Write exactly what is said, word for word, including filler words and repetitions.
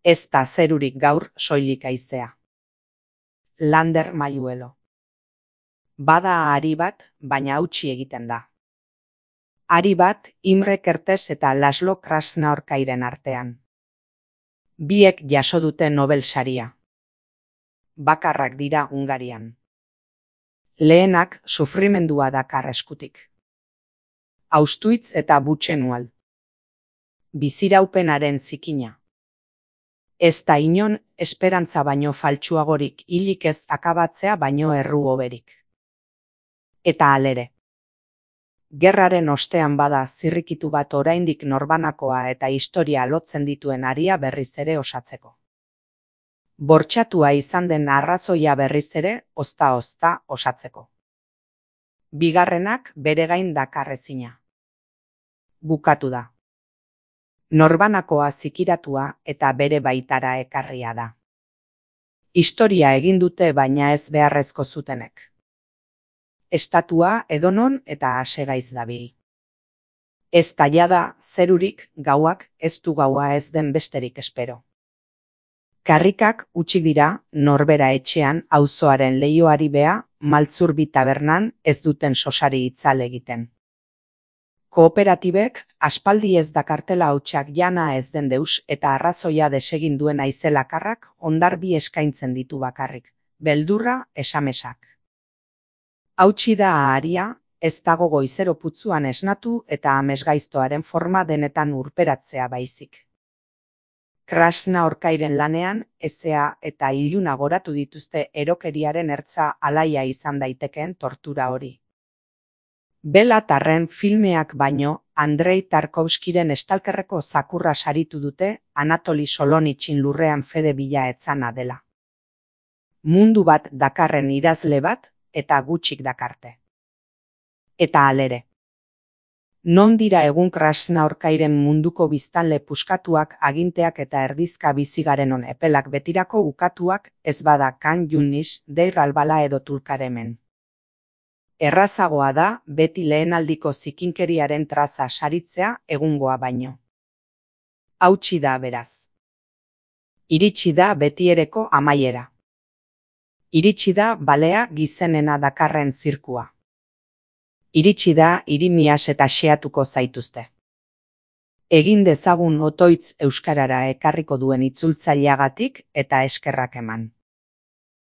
Ez da zerurik gaur soilik haizea. Lander Mayuelo. Bada ari bat, baina hautsi egiten da. Ari bat Imre Kertész eta Laszlo Krasznaorkairen artean. Biek jaso dute Nobel saria. Bakarrak dira Hungarian. Lehenak sufrimendua dakar eskutik. Auschwitz eta Buchenwald. Biziraupenaren zikina. Ez da inon esperantza baino faltsuagorik hilik ez akabatzea baino erru hoberik. Eta halere. Gerraren ostean bada zirrikitu bat oraindik norbanakoa eta historia lotzen dituen aria berriz ere osatzeko. Bortxatua izan den arrazoia berriz ere ozta-ozta osatzeko. Bigarrenak bere gain dakarrezina. Bukatu da. Norbanakoa zikiratua eta bere baitara ekarria da. Historia egin dute baina ez beharrezko zutenek. Estatua edonon eta asegaiz dabil. Ez taiada zerurik gauak ez du gaua ez den besterik espero. Karrikak utxik dira norbera etxean auzoaren leioari bea Maltzurbi tabernan ez duten sosari itzal egiten. Kooperatibek aspaldi ez dakartela hautsak jana ez den deus eta arrazoia desegin duen aizelakarrak hondarbi eskaintzen ditu bakarrik, beldurra esamesak. Hautsi da aharia, ez dago goizero putzuan esnatu eta amesgaiztoaren forma denetan urperatzea baizik. Krasznaorkairen lanean, ezea eta iluna goratu dituzte erokeriaren ertza alaia izan daitekeen tortura hori. Bela Tarren filmeak baino, Andrei Tarkovskiren estalkerreko zakurra saritu dute Anatoli Solonitxin lurrean fede bila etzana dela. Mundu bat dakarren idazle bat eta gutxik dakarte. Eta halere. Non dira egun Krasznaorkairen munduko biztanle puskatuak aginteak eta erdizka bizigarenon epelak betirako ukatuak ez bada Kan Yunis, Deir Albala edo Tulkaremen. Errazagoa da beti lehenaldiko zikinkeriaren traza saritzea egungoa baino. Hautsi da beraz. Iritsi da betiereko amaiera. Iritsi da balea gizenena dakarren zirkua. Iritsi da irimias eta xeatuko zaituzte. Egin dezagun otoitz euskarara ekarriko duen itzultzaileagatik eta eskerrak eman.